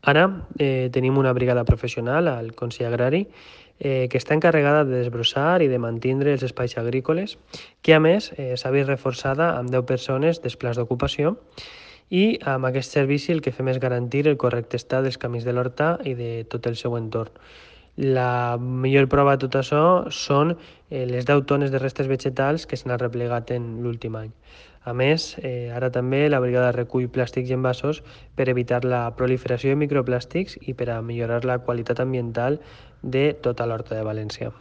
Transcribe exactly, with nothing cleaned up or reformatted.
Ara eh, tenim una brigada professional al Consell Agrari eh, que està encarregada de desbrossar i de mantenir els espais agrícoles, que a més eh, s'ha vist reforçada amb deu persones dels plans d'ocupació, i amb aquest servici el que fem és garantir el correcte estat dels camins de l'horta i de tot el seu entorn. La millor prova de tot això són eh, les deu tones de restes vegetals que s'han replegat en l'últim any. A més, eh, ara també la brigada recull plàstics i envasos per evitar la proliferació de microplàstics i per a millorar la qualitat ambiental de tota l'horta de València.